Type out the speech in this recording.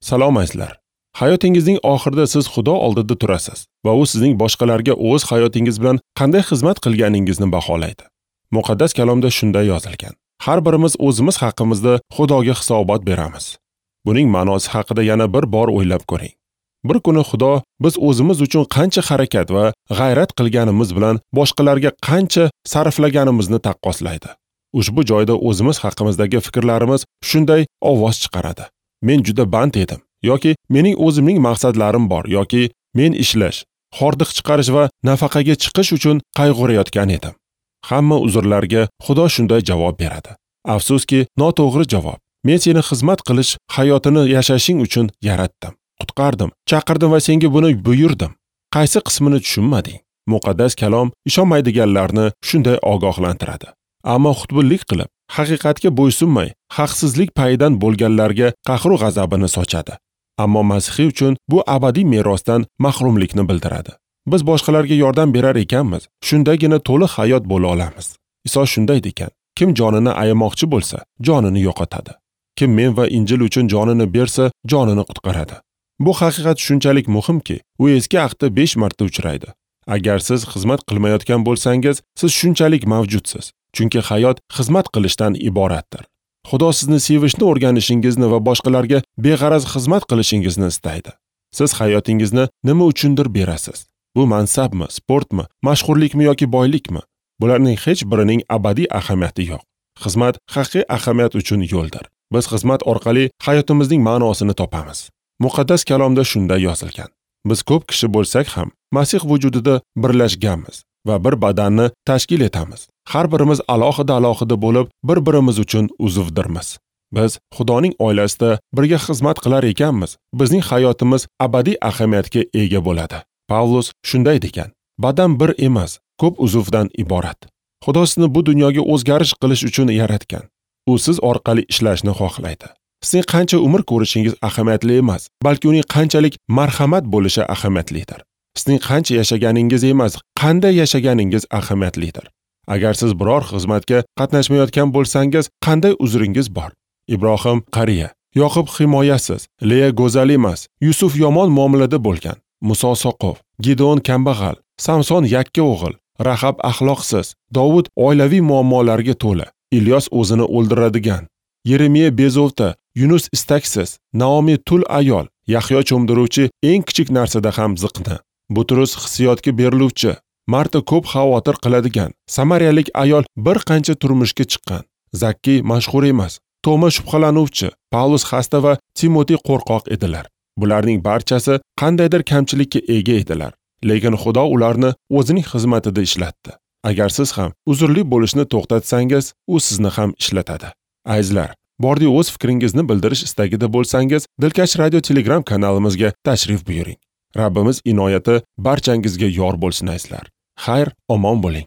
Salom azizlar. Hayotingizning oxirida siz Xudo oldida turasiz va u sizning boshqalarga o'z hayotingiz bilan qanday xizmat qilganingizni baholaydi. Muqaddas kalomda shunday yozilgan: Har birimiz o'zimiz haqimizda Xudoga hisobot beramiz. Buning ma'nosi haqida yana bir bor o'ylab ko'ring. Bir kuni Xudo biz o'zimiz uchun qancha harakat va g'ayrat qilganimiz bilan boshqalarga qancha sarflaganimizni taqqoslaydi. Ushbu joyda o'zimiz haqimizdagi fikrlarimiz shunday ovoz chiqaradi: Men juda band edim, yoki mening o'zimning maqsadlarim bor, yoki men ishlash, hordiq chiqarish va nafaqaga chiqish uchun qayg'urayotgan edim. Hamma uzrlarga Xudo shunday javob beradi. Afsuski, noto'g'ri javob. Men seni xizmat qilish hayotini yashashing uchun yaratdim, qutqardim, chaqirdim va senga buni buyurdim. Qaysi qismini tushunmading? Muqaddas kalom ishonmaydiganlarni shunday ogohlantiradi. Ammo xutbullik qilib, haqiqatga bo'ysunmay, haqsizlik payidan bo'lganlarga qahru g'azabini sochadi. Ammo masihiy uchun bu abadiy merosdan mahrumlikni bildiradi. Biz boshqalarga yordam berar ekanmiz, shundagina to'liq hayot bo'la olamiz. Iso shunday degan: Kim jonini ayamoqchi bo'lsa, jonini yo'qotadi. Kim men va Injil uchun jonini bersa, jonini qutqaradi. Bu haqiqat shunchalik muhimki, u eski ahdda 5 marta uchraydi. Agar siz xizmat qilmayotgan bo'lsangiz, siz shunchalik mavjudsiz. Chunki hayot xizmat qilishdan iboratdir. Xudo sizni sevishni o'rganishingizni va boshqalarga beg'araz xizmat qilishingizni istaydi. Siz hayotingizni nima uchundir berasiz? Bu mansabmi, sportmi, mashhurlikmi yoki boylikmi? Bularning hech birining abadiy ahamiyati yo'q. Xizmat haqiqiy ahamiyat uchun yo'ldir. Biz xizmat orqali hayotimizning ma'nosini topamiz. Muqaddas kalomda shunday yozilgan: Biz ko'p kishi bo'lsak ham Masih vujudida birlashganmiz va bir badanni tashkil etamiz. Har birimiz alohida-alohida bo'lib, bir-birimiz uchun uzvdirmiz. Biz Xudoning oilasida birga xizmat qilar ekanmiz, bizning hayotimiz abadiy ahamiyatga ega bo'ladi. Pavlus shunday degan: Badan bir emas, ko'p uzvdan iborat. Xudo sizni bu dunyoga o'zgarish qilish uchun yaratgan. U siz orqali ishlashni xohlaydi. Sizning qancha umr ko'rishingiz ahamiyatli emas, balki uning qanchalik marhamat bo'lishi ahamiyatlidir. Sizning qancha yashaganingiz emas, qanday yashaganingiz ahamiyatlidir. Agar siz biror xizmatga qatnashmayotgan bo'lsangiz, qanday uzringiz bor? Ibrohim qariya, Yoqub himoyasiz, Leya go'zal emas, Yusuf yomon muomalada bo'lgan, Muso soqov, Gideon kambag'al, Samson yakka o'g'il, Rahab axloqsiz, Dovud oilaviy muammolarga to'la, Ilyos o'zini o'ldiradigan, Yeremiya bezovta, Yunus istaksiz, Naomi tul ayol, Yahyo cho'mdiruvchi eng kichik narsada ham ziqna, Butrus hissiyotga beriluvchi, Marta ko'p xavotir qiladigan, Samariyalik ayol bir qancha turmushga chiqqan, Zakki mashhur emas, Toma shubhalanuvchi, Pavlus xasta va Timotey qo'rqoq edilar. Bularning barchasi qandaydir kamchilikka ega edilar, lekin Xudo ularni o'zining xizmatida ishlatdi. Agar siz ham uzrli bo'lishni to'xtatsangiz, u sizni ham ishlatadi. Azizlar, bordi o'z fikringizni bildirish istagida bo'lsangiz, Dilkash Radio Telegram kanalimizga tashrif buyuring. Rabbimiz inoyati barchangizga yor bo'lsin azizlar. Xayr, omon bo'ling.